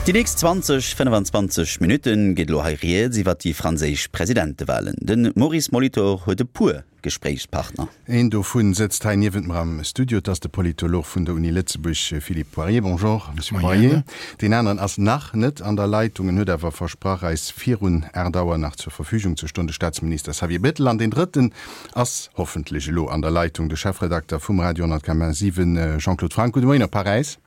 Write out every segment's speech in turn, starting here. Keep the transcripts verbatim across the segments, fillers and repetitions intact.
Déi nächst zwanzeg, fënnefenzwanzeg Minutte geet elo hei rieds iwwer déi franséisch Presidentewalen. De Maurice Molitor huet e puer Gespréichspartner. Een dovun sëtzt hei niewent mer am Studio, et ass de Politolog vun der Uni Lëtzebuerg Philippe Poirier. Bonjour, Monsieur Poirier. Deen aneren ass nach net an der Leitung, en huet awer versprach, eis virun aacht Auer nach zur Verfügung ze stoen, de Staatsminister Xavier Bettel. An deen drëtten ass hoffentlech elo an der Leitung, de Chefredakter vum Radio honnert Komma siwen, Jean-Claude Franck. Gudde Moien op Paräis.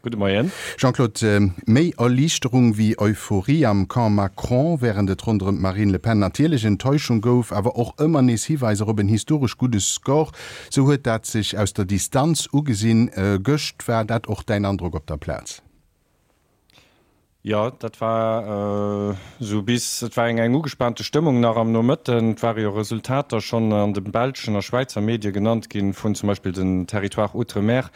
Gudde Moien. Jean-Claude, méi Erliichterung wéi Euphorie am Camp Macron, wärend et ronderëm d'Marine Le Pen natierlech Enttäuschung gouf, awer och ëmmer nees Hiweiser op en historesch gudde Score, sou huet dat sech aus der Distanz ugesinn. Gëscht, war dat och däin Androck op der Plaz? Jo, dat war esou bis, et war eng eng ugespaante Stëmmung nach am Nomëtten. Et ware jo Resultater schonn an de belschen a Schwäizer Medie genannt ginn, vun zum Beispill den Territoires outre-mer,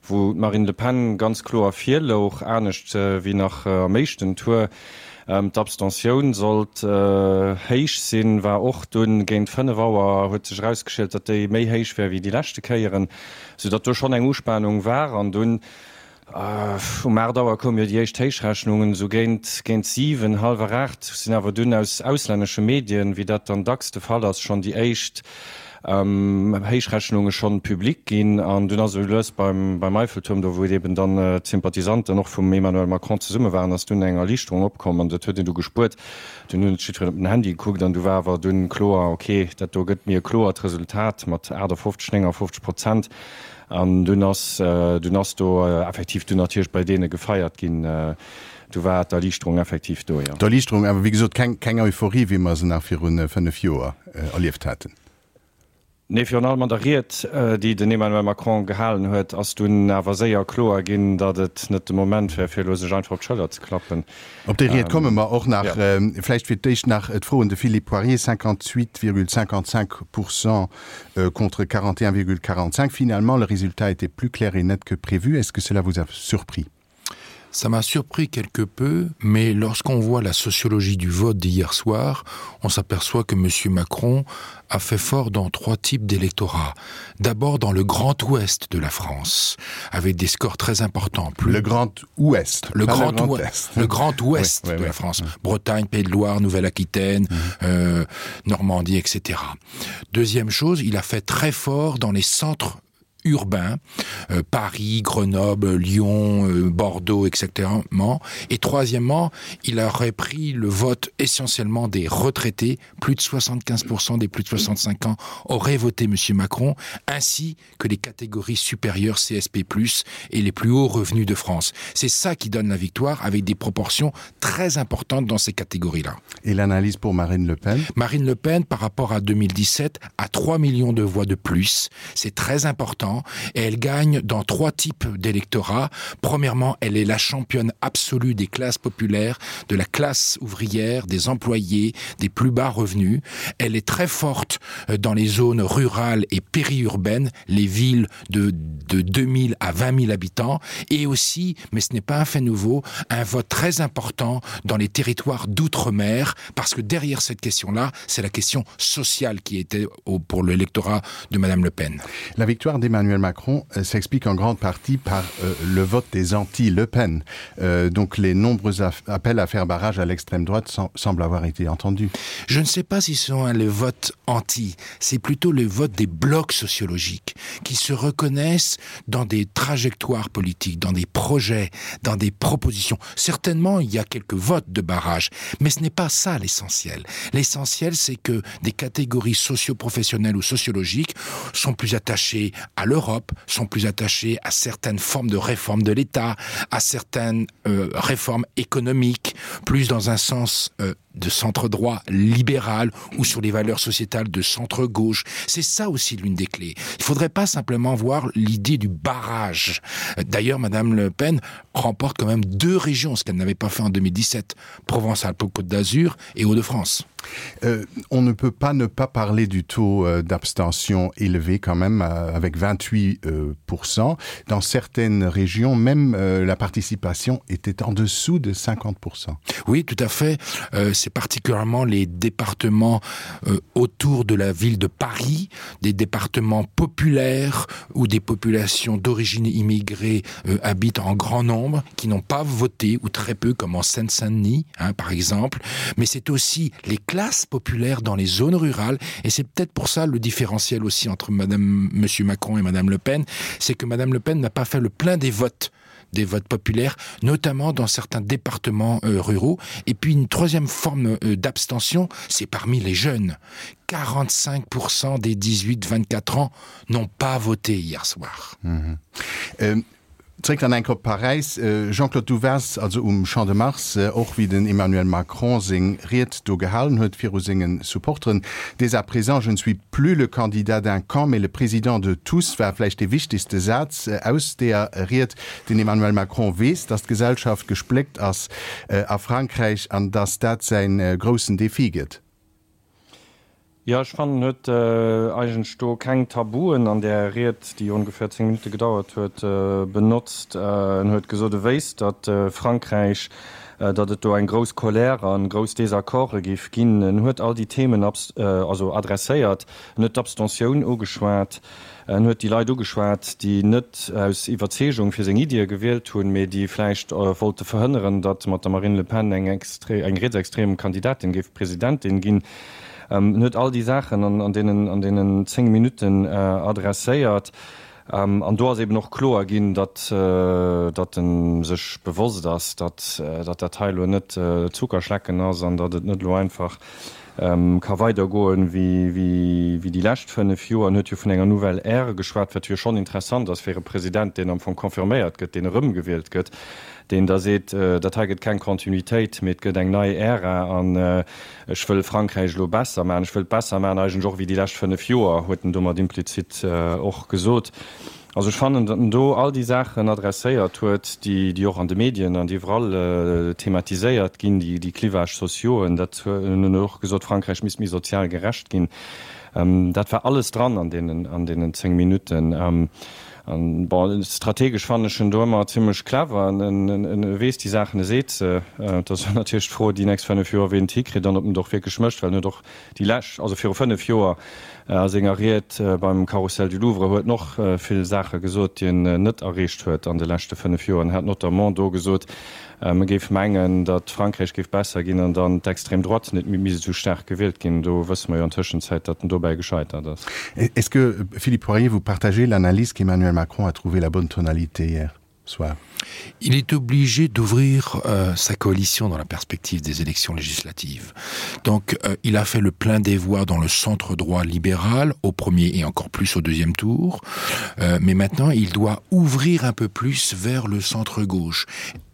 wou d'Marine Le Pen ganz kloer vir louch, anescht wéi nach am éischten Tour. D'Abstentioun sollt héich sinn, war och dunn géint fënnef Auer huet sech erausgeschielt, datt déi méi héich wär wéi déi leschte Kéieren, soudatt do schonn eng Uspanung war. An dunn Um aacht Auer koume jo déi éischt Héichrechnungen, esou géint géint siwen, hallwer aacht sinn awer dunn aus auslännesche Medien, wéi dat dann dacks de Fall ass, schonn déi éischt Héichrechnunge schonn public ginn. An dunn ass esou lues beim beim Eiffeltuerm, do wou eben dann d'Sympathisanten och vum Emmanuel Macron zesumme waren, ass dunn eng Erliichterung opkomm an dat huet een du gespuert. Dunn hunn et jiddwereen op den Handy gekuckt an du war awer dunn kloer, okay, dat do gëtt mir e kloert Resultat mat aachtafofzeg, néngafofzeg Prozent. An dunn ass, dunn ass do effektiv dunn natierlech bei deene gefeiert ginn. Du war d'Erliichterung effektiv do, jo. D'Erliichterung, awer wéi gesot keng, keng Euphorie, wéi mer se nach viru fënnef Joer erlieft haten. Nee, virun allem an der Ried, déi den Emmanuel Macron gehalen huet, ass dunn awer séier kloer ginn, datt et net de Moment wär, fir elo sech einfach op d'Schëller ze klappen. Op déi Ried komme mer och nach. Vläicht fir d'éischt nach d'Fro un de Philippe Poirier, cinquante-huit virgule cinquante-cinq pour cent contre quarante et un virgule quarante-cinq. Finalement, le résultat était plus clair et net que prévu. Est-ce que cela vous a surpris? Ça m'a surpris quelque peu, mais lorsqu'on voit la sociologie du vote d'hier soir, on s'aperçoit que M. Macron a fait fort dans trois types d'électorats. D'abord dans le Grand Ouest de la France, avec des scores très importants. Plus le Grand Ouest le Grand, le grand Ouest, le Grand Ouest oui, oui, de la France. Oui. Bretagne, Pays de Loire, Nouvelle-Aquitaine, mmh. euh, Normandie, et cetera. Deuxième chose, il a fait très fort dans les centres urbains, euh, Paris, Grenoble, Lyon, euh, Bordeaux, et cetera. Et troisièmement, il a repris le vote essentiellement des retraités. Plus de soixante-quinze pour cent des plus de soixante-cinq ans auraient voté M. Macron, ainsi que les catégories supérieures C S P plus et les plus hauts revenus de France. C'est ça qui donne la victoire avec des proportions très importantes dans ces catégories-là. Et l'analyse pour Marine Le Pen? Marine Le Pen, par rapport à deux mille dix-sept, a trois millions de voix de plus. C'est très important et elle gagne dans trois types d'électorat. Premièrement, elle est la championne absolue des classes populaires, de la classe ouvrière, des employés, des plus bas revenus. Elle est très forte euh, dans les zones rurales et périurbaines, les villes de, de deux mille à vingt mille habitants et aussi, mais ce n'est pas un fait nouveau, un vote très important dans les territoires d'outre-mer parce que derrière cette question-là, c'est la question sociale qui était au, pour l'électorat de Madame Le Pen. La victoire d'Emmanuel Macron euh, s'explique en grande partie par euh, le vote des anti-Le Pen. Euh, donc les nombreux appels à faire barrage à l'extrême droite sem semblent avoir été entendus. Je ne sais pas si ce sont les votes anti, c'est plutôt le vote des blocs sociologiques qui se reconnaissent dans des trajectoires politiques, dans des projets, dans des propositions. Certainement, il y a quelques votes de barrage, mais ce n'est pas ça l'essentiel. L'essentiel, c'est que des catégories socio-professionnelles ou sociologiques sont plus attachées à l'Europe, sont plus attachées à certaines formes de réforme de l'État, à certaines euh, réformes économiques, plus dans un sens euh, de centre droit libéral ou sur les valeurs sociétales de centre gauche. C'est ça aussi l'une des clés. Il faudrait pas simplement voir l'idée du barrage. D'ailleurs, Madame Le Pen remporte quand même deux régions, ce qu'elle n'avait pas fait en deux mille dix-sept, Provence-Alpes-Côte d'Azur et Hauts-de-France. Euh, on ne peut pas ne pas parler du taux euh, d'abstention élevé quand même euh, avec vingt-huit euh,. Dans certaines régions même, euh, la participation était en dessous de cinquante pour cent. Oui, tout à fait. Euh, c'est C'est particulièrement les départements euh, autour de la ville de Paris, des départements populaires où des populations d'origine immigrée euh, habitent en grand nombre, qui n'ont pas voté ou très peu comme en Seine-Saint-Denis hein, par exemple. Mais c'est aussi les classes populaires dans les zones rurales et c'est peut-être pour ça le différentiel aussi entre madame monsieur Macron et madame Le Pen, c'est que madame Le Pen n'a pas fait le plein des votes des votes populaires, notamment dans certains départements euh, ruraux. Et puis une troisième forme euh, d'abstention, c'est parmi les jeunes. quarante-cinq pour cent des dix-huit vingt-quatre ans n'ont pas voté hier soir. Mhm. Euh, Zréck dann eng Kéier op Paräis. Jean-Claude, du waars also um Champ de Mars, och wéi den Emmanuel Macron seng Ried do gehalen huet viru senge Supporteren. Dès à présent, je ne suis plus le candidat d'un camp, mais le président de tous war vläicht dee wichtegste Saz aus där Ried. Den Emmanuel Macron weess, datt d'Gesellschaft gespléckt ass a Frankräich an datt dat säi groussen Defi gëtt. Jo, ech fannen, en huet eigentlech do keng Tabuen an där Ried, déi ongeféier zéng Minutte gedauert huet, benotzt. En huet gesot, e wéisst, datt Frankräich, datt et do eng grouss Colère an grouss Désaccorde géif ginn. En huet all déi Themen also adresséiert. En huet d'Abstentioun ugeschwat. En huet déi Leit ugeschwat, déi net aus Iwwerzeegung fir seng Iddie gewielt hunn, mee déi vläicht wollte verhënneren, datt mat der Marine Le Pen eng eng rietsextrem Kandidatin géif Presidentin ginn. En huet all déi Saachen an deenen an deenen zéng Minutten adresséiert. An do ass eben och kloer ginn, datt datt en sech bewosst ass, datt datt dat hei elo net Zuckerschlecken ass an datt et net elo einfach ka weidergoen wéi wéi déi lescht fënnef Joer. En huet jo vun enger nouvelle ère geschwat, wat jo schonn interessant ass fir e President, deen am Fong confirméiert gëtt, deen erëmgewielt gëtt, deen da seet, dat hei gëtt keng Kontinuitéit, mee et gëtt eng nei Ära an ech wëll Frankräich elo besser maachen, ech wëll et besser maachen eigentlech och wéi déi lescht fënnef Joer, huet en domat implizit och gesot. Also ech fannen, datt en do all déi Saachen adresséiert huet, déi, déi och an de Medien an iwwerall thematiséiert ginn, déi, déi Clivages sociaux, dat en huet och gesot, Frankräich misst méi sozial gerecht ginn. Dat war alles dran an deenen, an deenen zéng Minutten. An, bon, strategesch fannen ech en do ëmmer zimlech clever, en, en weess déi Saachen, e seet se. Et ass natierlech d'Fro déi nächst fënnef Joer, wien et hikritt an ob en et och wierklech mécht, well en huet och déi lescht, also viru fënnef Joer a senger Ried beim Carrousel du Louvre huet en och vill Saache gesot, déi en net erreecht huet an de leschte fënnef Joer. En hat notamment do gesot, e géif mengen, datt Frankräich géif besser ginn an dann d'Extrême droite net méi misst esou staark gewielt ginn. Do wësse mer jo an Tëschenzäit, datt en dobäi gescheitert ass. Est-ce que, Philippe Poirier, vous partagez l'analyse qu'Emmanuel Macron a trouvé la bonne tonalité hier soir? Il est obligé d'ouvrir euh, sa coalition dans la perspective des élections législatives. Donc euh, il a fait le plein des voix dans le centre droit libéral au premier et encore plus au deuxième tour. Euh, mais maintenant il doit ouvrir un peu plus vers le centre gauche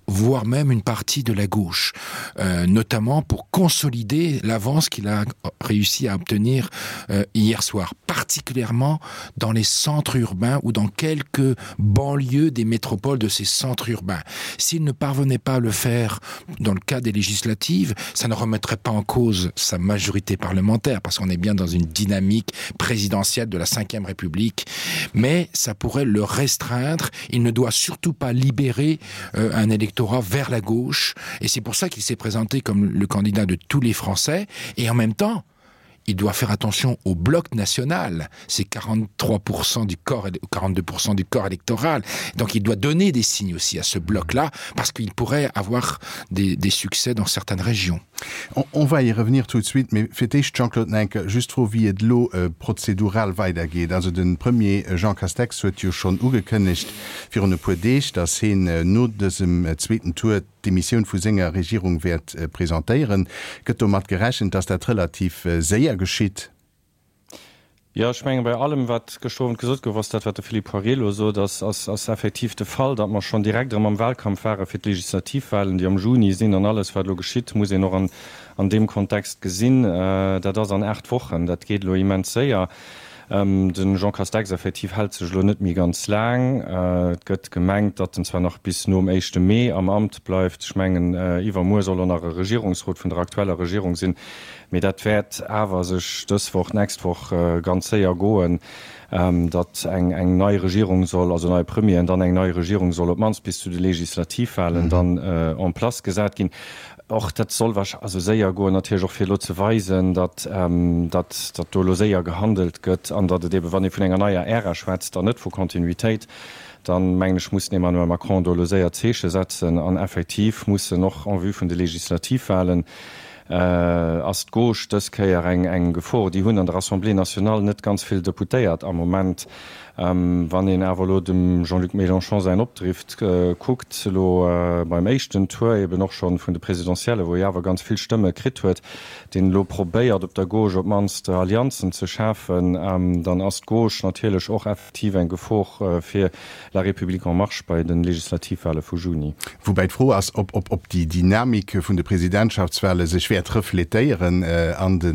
voire même une partie de la gauche, euh, notamment pour consolider l'avance qu'il a réussi à obtenir euh, hier soir, particulièrement dans les centres urbains ou dans quelques banlieues des métropoles de ces centres urbains. S'il ne parvenait pas à le faire dans le cas des législatives, ça ne remettrait pas en cause sa majorité parlementaire parce qu'on est bien dans une dynamique présidentielle de la cinquième République, mais ça pourrait le restreindre. Il ne doit surtout pas libérer euh, un électorat vers la gauche et c'est pour ça qu'il s'est présenté comme le candidat de tous les Français et en même temps, il doit faire attention au bloc national, c'est quarante-trois pour cent du corps quarante-deux pour cent du corps électoral. Donc il doit donner des signes aussi à ce bloc là parce qu'il pourrait avoir des, des succès dans certaines régions. On, on va y revenir tout de suite, mais fir d'éischt Jean-Claude Nenke, just d'Fro wéi et elo äh, prozedural weidergeet. Also de Premier äh, Jean Castex huet jo schonn ugekënnegt virun e puer Deeg, datt hien äh, no dësem äh, zweeten Tour d'Demissioun vu senger Regierung wäert äh, presentéieren. Gëtt domat gerechent, datt dat relativ äh, séier geschitt? Jo, ech menge bei allem wat gëschter Owend gesot gouf, ass dat wat de Philippe Poirier elo sot, ass ass ass effektiv de Fall, datt mer schonn direkt erëm am Wahlkampf ware fir d'Legislativwahlen, déi am Juni sinn an alles wat elo geschitt, muss een och an an deem Kontext gesinn. Dat ass an aacht Wochen, dat geet elo immens séier. De Jean Castex effektiv hält sech elo net méi ganz laang. Et gëtt gemengt, datt en zwar nach bis nom éischte Mee am Amt bleift. Ech mengen iwwermuer soll och nach e Regierungsrot vun der aktueller Regierung sinn. Mee dat wäert awer sech dës Woch, d'nächst Woch ganz séier goen. datt eng eng nei Regierung soll, also neie Premier an dann eng nei Regierung soll op d'mannst bis zu de Legislativwahlen dann en place gesat ginn. Och dat soll wahrsch also séier goen, natierlech och fir elo ze weisen, datt datt datt do elo séier gehandelt gëtt an datt et eeben, wann ee vun enger neier Ära schwätzt an net vu Kontinuitéit, dann mengen ech, muss den Emmanuel Macron do elo séier Zeeche setzen an effektiv muss en och en vue vun de Legislativwahlen, ass d'Gauche dës Kéier eng eng Gefor. Déi hunn an der Assemblée nationale net ganz vill Deputéiert am Moment. Wann een awer elo dem Jean-Luc Mélenchon säin Opdrift kuckt, elo beim éischten Tour eben och scho vun de Presidentiellen, wou hie awer ganz vill Stëmme kritt huet, deen elo probéiert op der Gauche op d'mannst Allianzen ze schafen, dann ass d'Gauche natierlech och effektiv eng Gefor fir La République en marche bei de Legislativwale vu Juni. Woubäi d'Fro ass, ob ob déi Dynamik vun de Presidentschaftswale sech wäert refletéieren an de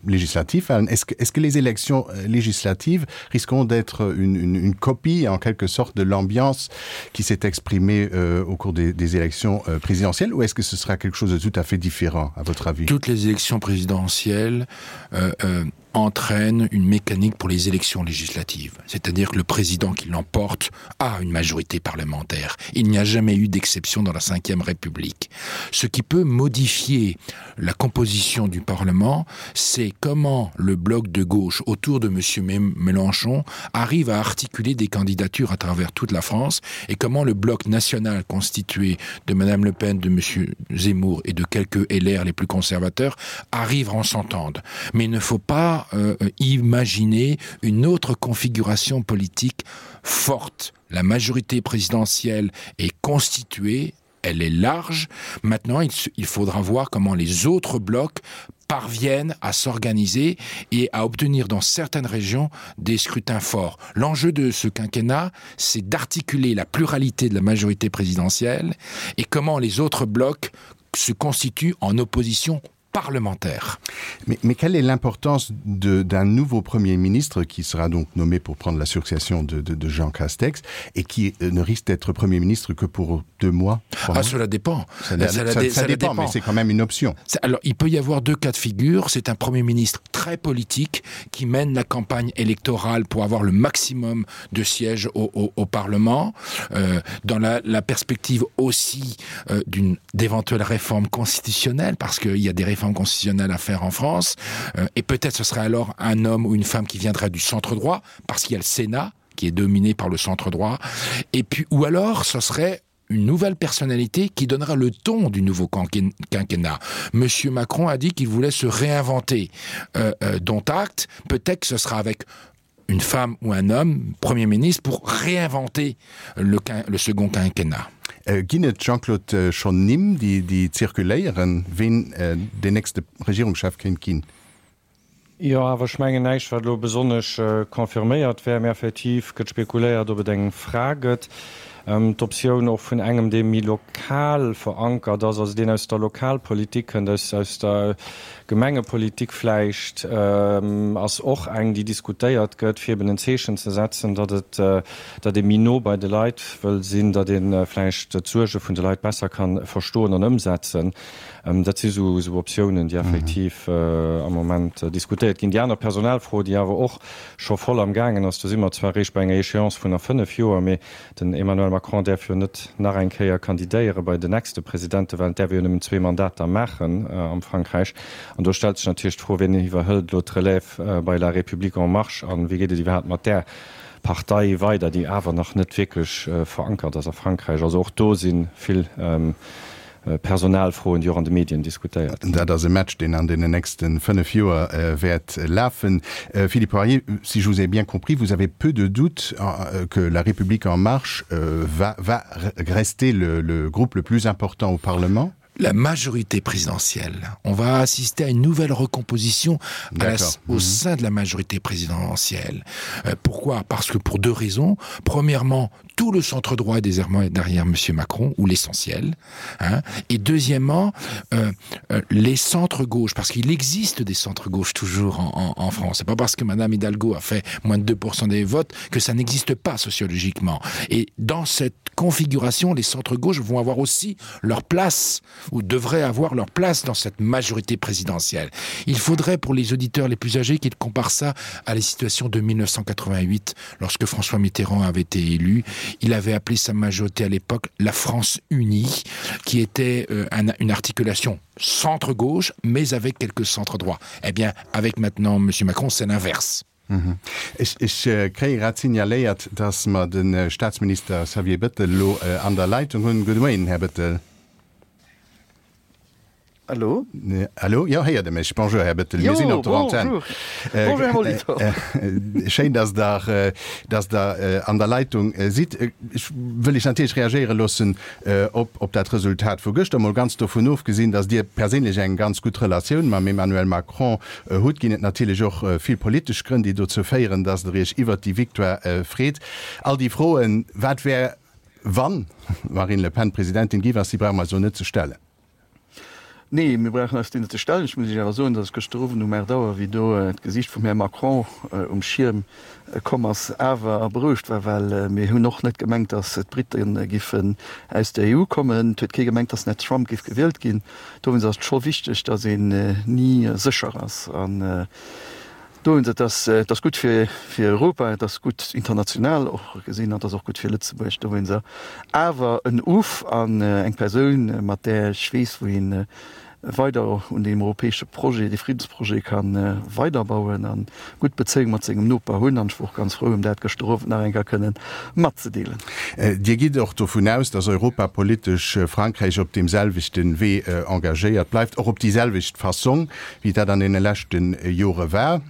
Legislativwalen. Est-ce que, est-ce que les élections législatives risqueront d'être une, une, une copie en quelque sorte de l'ambiance qui s'est exprimée euh, au cours des, des élections euh, présidentielles ou est-ce que ce sera quelque chose de tout à fait différent à votre avis? Toutes les élections présidentielles euh, euh, entraîne une mécanique pour les élections législatives, c'est-à-dire que le président qui l'emporte a une majorité parlementaire. Il n'y a jamais eu d'exception dans la cinquième République. Ce qui peut modifier la composition du Parlement, c'est comment le bloc de gauche autour de monsieur Mélenchon arrive à articuler des candidatures à travers toute la France et comment le bloc national constitué de madame Le Pen, de monsieur Zemmour et de quelques L R les plus conservateurs arrive à en s'entendre. Mais il ne faut pas euh, imaginer une autre configuration politique forte. La majorité présidentielle est constituée, elle est large. Maintenant, il, il faudra voir comment les autres blocs parviennent à s'organiser et à obtenir dans certaines régions des scrutins forts. L'enjeu de ce quinquennat, c'est d'articuler la pluralité de la majorité présidentielle et comment les autres blocs se constituent en opposition parlementaire. Mais, mais quelle est l'importance d'un nouveau Premier ministre qui sera donc nommé pour prendre la succession de, de, de Jean Castex et qui euh, ne risque d'être Premier ministre que pour deux mois ah, mois cela dépend. Ça, ça, ça, ça, ça dépend, dépend. mais c'est quand même une option. Alors il peut y avoir deux cas de figure. C'est un Premier ministre très politique qui mène la campagne électorale pour avoir le maximum de sièges au, au, au Parlement, euh, dans la, la perspective aussi euh, d'une d'éventuelles réformes constitutionnelles, parce qu'il y a des réformes constitutionnelles à faire en France, euh, et peut-être ce serait alors un homme ou une femme qui viendrait du centre droit, parce qu'il y a le Sénat qui est dominé par le centre droit, et puis ou alors ce serait une nouvelle personnalité qui donnera le ton du nouveau quinquennat. Monsieur Macron a dit qu'il voulait se réinventer, euh, euh, dont acte, peut-être que ce sera avec une femme ou un homme Premier ministre pour réinventer le, le second quinquennat. Äh, ginn et, Jean-Claude, schonn Nimm, déi, déi zirkuléieren, ween äh, den nächste Regierungschef kéint ginn? Jo, awer ech mengen näischt, wat elo besonnesch confirméiert wär. Mee effektiv gëtt spekuléiert, ob et eng Fra gëtt. D'Optioun och vun engem, dee méi lokal verankert ass, also deen aus der Lokalpolitik kënnt, aus aus der Gemengepolitik vläicht, ass och eng, déi diskutéiert gëtt, fir eben en Zeechen ze setzen, datt et, datt ee méi no bei de Leit wëll sinn, datt ee vläicht d'Suerge vun de Leit besser ka verstoen an ëmsetzen. Dat si sou sou Optiounen, déi effektiv am Moment diskutéiert ginn. Déi aner Personalfro, déi awer och scho voll am gaangen ass, do si mer zwar eréischt bei enger Échéance vun a fënnef Joer, mee den Emmanuel Macron däerf jo net nach eng Kéier kandidéiere bei den nächste Presidentewahlen, däerf e jo nëmmen zwee Mandater maachen am Frankräich. An do stellt sech natierlech d'Fro, Wien iwwerhëlt elo d'Relève bei La République en marche a wéi geet et iwwerhaapt mat där Partei weider, déi awer nach net wierklech verankert ass a Frankräich? Also och do si vill Personalfroen, déi och an de Medien diskutéiert ginn. Dat ass e Match, deen an deenen nächste fënnef Joer wäert lafen. Philippe Poirier, si je vous ai bien compris, vous avez peu de doutes que La République en marche va va rester le le groupe le plus important au Parlement? La majorité présidentielle. On va assister à une nouvelle recomposition à la, au mhm. sein de la majorité présidentielle. Euh, pourquoi? Parce que pour deux raisons. Premièrement, Tout le centre droit est désormais derrière monsieur Macron ou l'essentiel hein. Et deuxièmement euh, euh, les centres gauche parce qu'il existe des centres gauche toujours en, en, en France. C'est pas parce que madame Hidalgo a fait moins de deux des votes que ça n'existe pas sociologiquement. Et dans cette configuration, les centres gauche vont avoir aussi leur place ou devraient avoir leur place dans cette majorité présidentielle. Il faudrait pour les auditeurs les plus âgés qu'ils comparent ça à la situation de mille neuf cent quatre-vingt-huit lorsque François Mitterrand avait été élu. Il avait appelé sa majorité à l'époque la France unie, qui était euh, un, une articulation centre gauche mais avec quelques centres droits. Eh bien avec maintenant monsieur Macron, c'est l'inverse. Mhm. Ech, ech äh, kréie grad signaléiert, dass mer den äh, Staatsminister Xavier Bettel lo äh, an der Leitung hunn. Gudde Moien, Här Bettel. Hallo? Hallo? Jo, héiert Der mech? Bonjour, Här Bettel. Mir sinn op der Antenn. Bonjour, Här Molitor. Schéin, dass Der, dass Der an der Leitung sidd. Ech wëll Iech natierlech reagéiere loossen op, op dat Resultat vu gëschter. Mol ganz dovun ofgesinn, dass Dir perséinlech eng ganz gutt Relatioun mam Emmanuel Macron hutt, ginn et natierlech och vill politesch Grënn, déi dozou féieren, dass Der Iech iwwert déi Victoire freet. All déi Froen, wat wär, wann Marine Le Pen Presidentin gi war, déi brauche mer eis elo net ze stellen. Nee, mir brauchen eis déi net ze stellen. Ech muss Iech awer soen, datt ech gëschter Owend um aacht Auer, wéi do d'Gesiicht vum Här Macron um Schierm komm ass, awer berouegt war, well mir hunn och net gemengt, datt d'Brite giffen aus der E U kommen. Et huet kee gemengt, datt den Här Trump géif gewielt ginn. Dowéinst ass et scho wichteg, datt een ni sécher ass. An dowéinst, et ass, et ass gutt fir, fir Europa, et ass gutt international och gesinn an et ass och gutt fir Lëtzebuerg. Dowéinst awer en Uff an eng Persoun, mat där ech weess, wou een weider un deem europäesche Projet, dee Friddensprojet ka weiderbauen a gutt Bezéiung mat sengem Noper hunn. An ech wor och ganz frou, em dat gëschter Owend nach eng Kéier kënnen matzedeelen. Dir gitt och dovun aus, datt europapolitesch Frankräich op deem selwechte Wee engagéiert bleift, och op déi selwecht Fassong, wéi dat an deene leschte Jore war?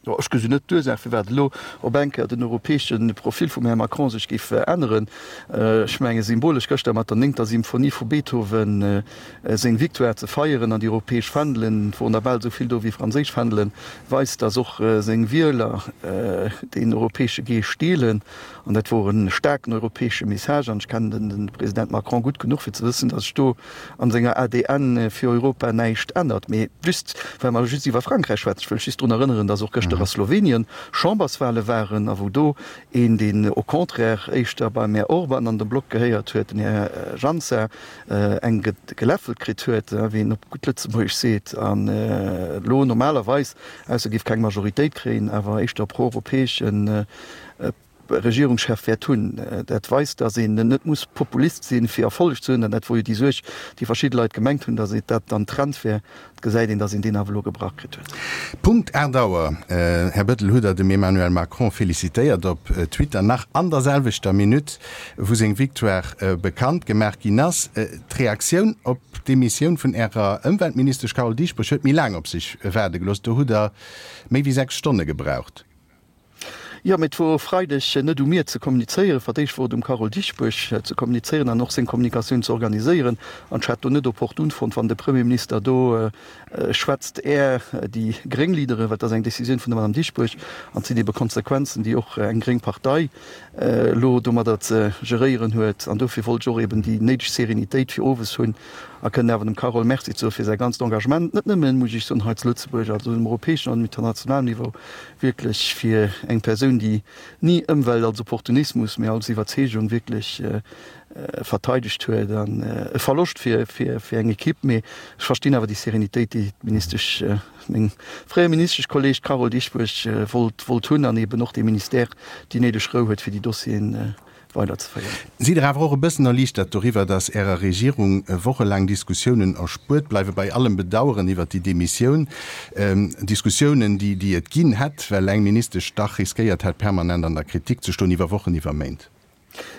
Jo, ech gesinn net d'Ursaach, firwat elo op eng Kéier den europäesche Profil vum Här Macron sech géif änneren. Ech menge symbolesch gëschter mat der néngter Symphonie vu Beethoven seng Victoire ze feieren an déi europäesch Fändelen, et woren der bal esou vill do wéi franséisch Fändelen, weist, datt och seng Wieler deen europäesche Geescht deelen. An dat wor e staarken europäesche Message. An ech kennen de President Macron gutt genuch, fir ze wëssen, datt sech do an senger A D N fir Europa näischt ännert. Mee just, well mer just iwwer Frankräich schwätzen, ech wëll just drun erënneren, datt och gëschter a Slowenien Chamberswale waren a wou do een, deen au contraire éischter beim Här Orban an de Block gehéiert huet, den Här Janša, eng geläffelt kritt huet, wéi een op gutt Lëtzebuergesch seet, an elo normalerweis, ausser géif keng Majoritéit kréien, awer éischter pro-europäeschen Regierungschef wäert hunn. Dat weist, datt een net muss Populist sinn, fir Erfolleg ze hunn. An dat wor jo déi Suerg, déi verschidde Leit gemengt hunn, datt dat dann Trend wär. Et gesäit een, datt een deen awer elo gebrach kritt huet. Punkt aacht Auer, Här Bettel, hutt Der dem Emmanuel Macron felicitéiert op Twitter, nach an der selwechter Minutt, wou seng Victoire bekannt gemaach ginn ass. D'Reaktioun op d'Demissioun vun Ärer Ëmweltministesch Carole Dieschbourg huet méi laang op sech waarde gelooss. Do hutt Der méi wéi sechs Stonne gebraucht. Jo, mee et wor e Freideg net u mir ze kommunizéieren. Fir d'éischt wor et um Carole Dieschbourg ze kommunizéieren an och seng Kommunikatioun ze organiséieren. An ech hätt do net opportun fonnt, wann de Premierminister do schwätzt, är déi gréng Leaderen, well et ass eng Décisioun vun der Madame Dieschbourg an et sinn ebe Konsequenzen, déi och eng gréng Partei elo domadder ze geréieren huet. An dofir wollt ech och eben déi néideg Serenitéit fir owes hunn a kënnen awer dem Carole Merci soe fir säi ganzt Engagement, net nëmmen, muss ech soen, hei zu Lëtzebuerg, also um europäeschen an um internationalen Niveau, wierklech fir eng Persoun, déi ni Ëmwelt als Opportunismus, mee als Iwwerzeegung wierklech verteidegt huet. An e Verloscht fir, fir, fir eng Equipe, mee ech verstinn awer déi Serenitéit, déi d'Ministesch, meng fréier Ministeschkolleg Carole Dieschbourg wollt, wollt hunn an eben och de Ministère déi néideg Rou huet, fir déi Dossieren weiderzeféieren. Sidd Der awer och e bëssen erliichtert doriwwer, datt Ärer Regierung wochelaang Diskussiounen erspuert bleiwe, bei allem Bedaueren iwwer déi Demissioun, Diskussiounen, déi, déi et ginn hätt, well eng Ministesch dach riskéiert hätt, permanent an der Kritik ze stoen, iwwer Wochen, iwwer Méint?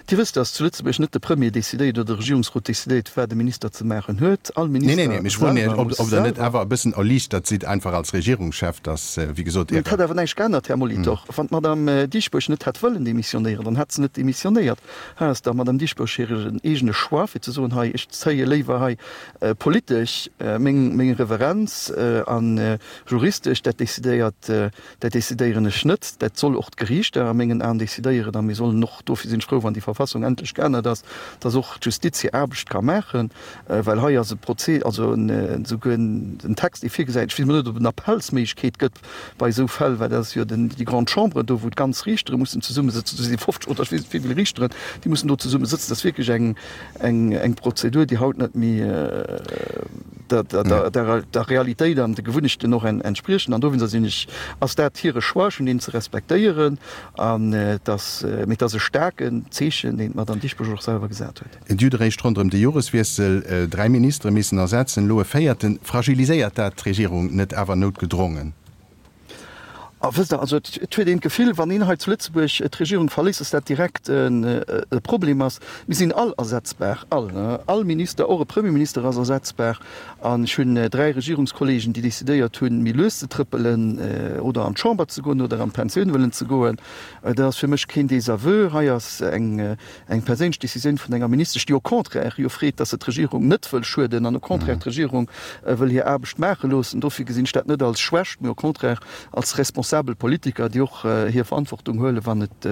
Dir wësst, dass zu Lëtzebuerg net de Premier decidéiert oder de Regierungsrot decidéiert, wat e Minister ze maachen huet. All Nee, Minister nee, nee, mee ech froen selwer Iech, ob, muss ob Der net selwer. awer e bëssen erliichtert sidd einfach als Regierungschef, dass, wéi gesot, Mee et Äre. hätt awer näischt geännert, Här Molitor. Wann d'Madame Dieschbourg net hätt wëllen demissionéieren, dann hätt se net demissionéiert. Hei ass der Madame Dieschbourg hiren eegene Choix, fir ze soen, hei, ech zéie léiwer hei politesch meng, meng Reverenz a juristesch, dat decidéiert, dat decidéieren ech net. Dat soll och d'Geriichter a mengen Aen decidéieren. A mir sollen och, dofir sinn ech frou, wann déi Verfassung endlech geännert ass, dass och d'Justiz hir Aarbecht ka maachen, well hei ass e Prozé, also esouguer en Text, dee virgesäit, ech weess emol net, ob et en Appellsméiglechkeet gëtt bei esou Fäll, well dat ass jo den, déi Grande Chambre do, wou d'ganz Riichtere mussen zesummesëtzen, do si fofzeg oder ech weess net wéi vill Riichteren, déi mussen do zesummesëtzen. Dat ass wierklech eng, eng, eng Prozedur, déi haut net méi der, der, der, der Realitéit an de Gewunnechten och entspriechen. An dowéinster sinn ech, ass dat hire Choix, ech hunn deen ze respektéieren. An et ass, mee et ass e staarken Zeechen, deen d'Madame Dieschbourg och selwer gesat huet. Dir hutt eréischt ronderëm de Joreswiessel dräi Ministere missen ersetzen, elo e véierten. Fragiliséiert dat d'Regierung net awer noutgedrongen? A wësst Der, also et huet een d'Gefill, wann een hei zu Lëtzebuerg d'Regierung verléisst, dass dat direkt e Problem ass. Mir sinn all ersetzbar, all, all Minister, och e Premierminister ass ersetzbar. An ech hunn dräi Regierungskollegen, déi decidéiert hunn, méi lues ze trëppelen oder an d'Chamber ze goen oder an d'Pensioun wëllen ze goen. Dat ass fir mech keen Désaveu. Hei ass eng eng perséinlech Décisioun vun enger Ministesch, déi au contraire jo freet, dass se d'Regierung net wëll schueden an au contraire d'Regierung wëll hir Aarbecht maache loossen. Dofir gesinn ech dat net als Schwächt, mee au contraire als responsabel Politiker, déi och hir Verantwortung huelen, wann et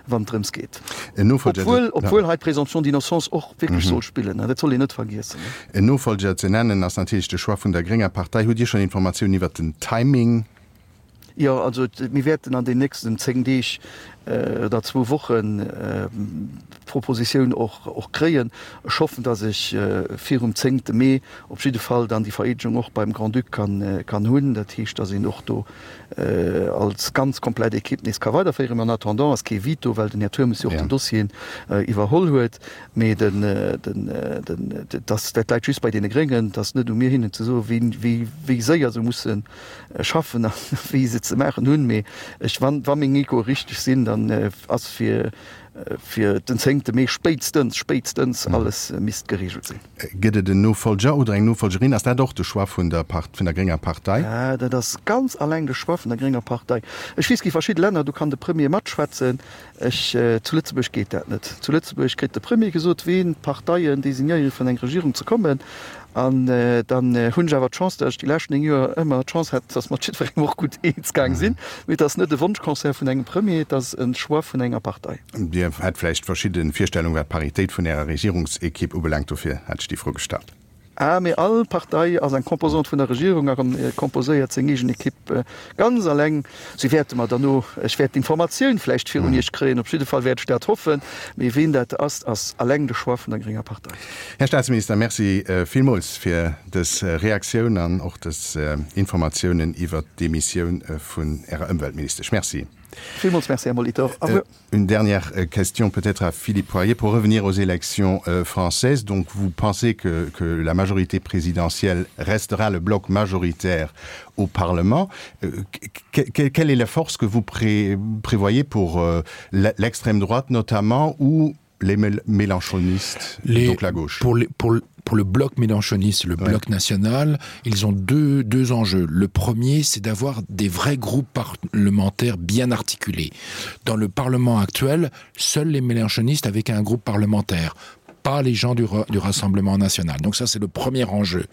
wann et drëms geet. En Nofolger, Obwuel, obwuel hei d'Présomption d'innocence och wierklech soll spillen, dat soll een net vergiessen. En Nofolger ze nennen ass natierlech de Choix vun der grénger Partei. Hutt Dir schonn Informatiounen iwwert den Timing? Jo, also mir wäerten an den nächsten zéng Deeg oder zwou Wochen d'Propositioun och och kréien. Ech hoffen, datt ech virum zéngte Mee op jidde Fall dann déi Vereedegung och beim Grand-Duc kann kann hunn. Dat heescht, datt een och do als ganz komplett Equipe nees ka weiderféieren. Mä en attendant ass kee Veto, well den Här Turmes jo och den Dossier iwwerholl huet. Mee den den den dat dat läit just bei deene Gréngen. Et ass net u mir hinnen ze soen, wéi wéi wéi séier se musse schaffen a wéi se ze maachen hunn. Mee ech wann wa meng Echoe richteg sinn, dann ass fir fir den zéngte Mee spéitstens, spéitstens alles misst geregelt sinn. Gëtt et en Nofolger oder eng Nofolgerin? Ass dat och de Choix vun der vun der grénger Partei? Dat ass ganz alleng de Choix vun der grénger Partei. Ech weess, gi verschidde Länner, do kann de Premier matschwätzen. Ech, zu Lëtzebuerg geet dat net. Zu Lëtzebuerg kritt de Premier gesot, ween d'Parteien designéieren, fir an eng Regierung ze kommen. An dann hunn ech awer d'Chance, datt ech déi lescht néng Joer ëmmer d'Chance hat, datt mer mat jiddwerengem och gutt eens gaang sinn. Mee et ass net e Wonschconcert vun engem Premier, et ass e Choix vun enger Partei. Dir hätt vläicht verschidde Virstellungen, wat d'Paritéit vun Ärer Regierungsekipp ubelaangt, dofir hat ech déi Fro gestallt. Ah, mee all Partei ass eng Composante vun der Regierung a composéiert seng eegen Ekipp ganz alleng. Si wäerte mer derno, ech wäert d'Informatioun vläicht virun Iech kréien, op jidde Fall wäert ech dat hoffen, mee ween dat ass, ass alleng de Choix vun der grénger Partei. Här Staatsminister, Merci villmools fir dës Reaktioun an och dës Informatiounen iwwert d'Demissioun vun Ärer Ëmweltministesch. Merci. Villmools Merci, Här Molitor. Au revoir. Une dernière question peut-être à Philippe Poirier pour revenir aux élections euh, françaises. Donc vous pensez que, que la majorité présidentielle restera le bloc majoritaire au Parlement. Euh, que, quelle est la force que vous pré prévoyez pour euh, l'extrême droite notamment ou les mélenchonistes les, donc la gauche pour, les, pour, pour le bloc mélenchoniste le ouais. bloc national ils ont deux deux enjeux le premier c'est d'avoir des vrais groupes parlementaires bien articulés dans le parlement actuel seuls les mélenchonistes avec un groupe parlementaire pas les gens du, du rassemblement national donc ça c'est le premier enjeu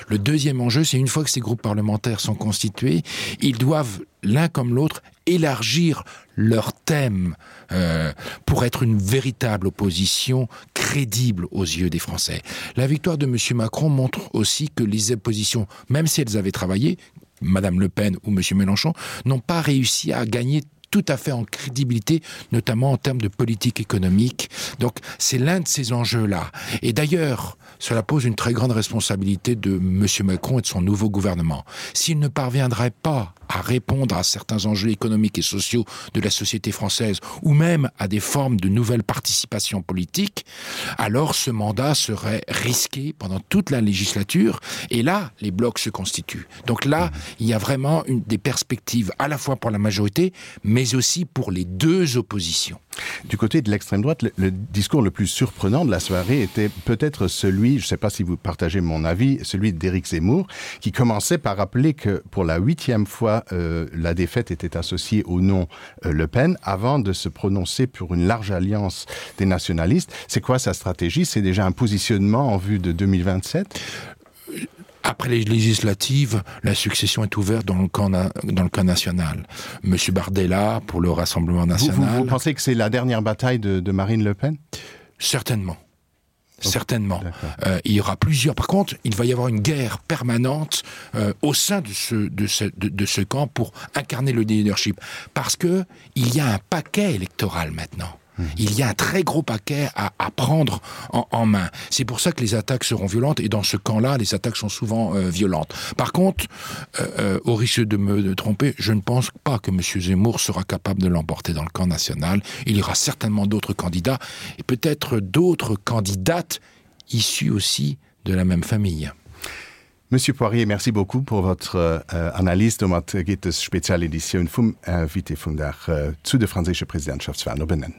le deuxième enjeu c'est une fois que ces groupes parlementaires sont constitués ils doivent l'un comme l'autre élargir leur thème euh, pour être une véritable opposition crédible aux yeux des Français. La victoire de M Macron montre aussi que les oppositions, même si elles avaient travaillé, Madame Le Pen ou M Mélenchon, n'ont pas réussi à gagner tout à fait en crédibilité, notamment en termes de politique économique. Donc c'est l'un de ces enjeux là. Et d'ailleurs, cela pose une très grande responsabilité de M Macron et de son nouveau gouvernement. S'il ne parviendrait pas à répondre à certains enjeux économiques et sociaux de la société française ou même à des formes de nouvelles participations politiques, alors ce mandat serait risqué pendant toute la législature et là les blocs se constituent. Donc là, il y a vraiment une des perspectives à la fois pour la majorité, mais mais aussi pour les deux oppositions. Du côté de l'extrême droite, le, le discours le plus surprenant de la soirée était peut-être celui, je ne sais pas si vous partagez mon avis, celui d'Éric Zemmour, qui commençait par rappeler que pour la huitième fois, euh, la défaite était associée au nom euh, Le Pen avant de se prononcer pour une large alliance des nationalistes. C'est quoi sa stratégie? C'est déjà un positionnement en vue de deux mille vingt-sept? Après les législatives, la succession est ouverte dans le camp, dans le camp national. Monsieur Bardella pour le Rassemblement national. Vous, vous, vous pensez que c'est la dernière bataille de, de Marine Le Pen? Certainement. Certainement. Euh, il y aura plusieurs. Par contre, il va y avoir une guerre permanente euh, au sein de ce, de, ce, de, de ce camp pour incarner le leadership. Parce que il y a un paquet électoral maintenant. Mmh. Il y a un très gros paquet à, à prendre en, en main. C'est pour ça que les attaques seront violentes et dans ce camp-là, les attaques sont souvent euh, violentes. Par contre, euh, euh, au risque de me de tromper, je ne pense pas que M. Zemmour sera capable de l'emporter dans le camp national. Il y aura certainement d'autres candidats et peut-être d'autres candidates issues aussi de la même famille. Monsieur Poirier, merci beaucoup pour votre euh, Analyse. Domat geet dës Spezialeditioun vum Invité vum Dag zu de franséische Presidentschaftswalen op en Enn.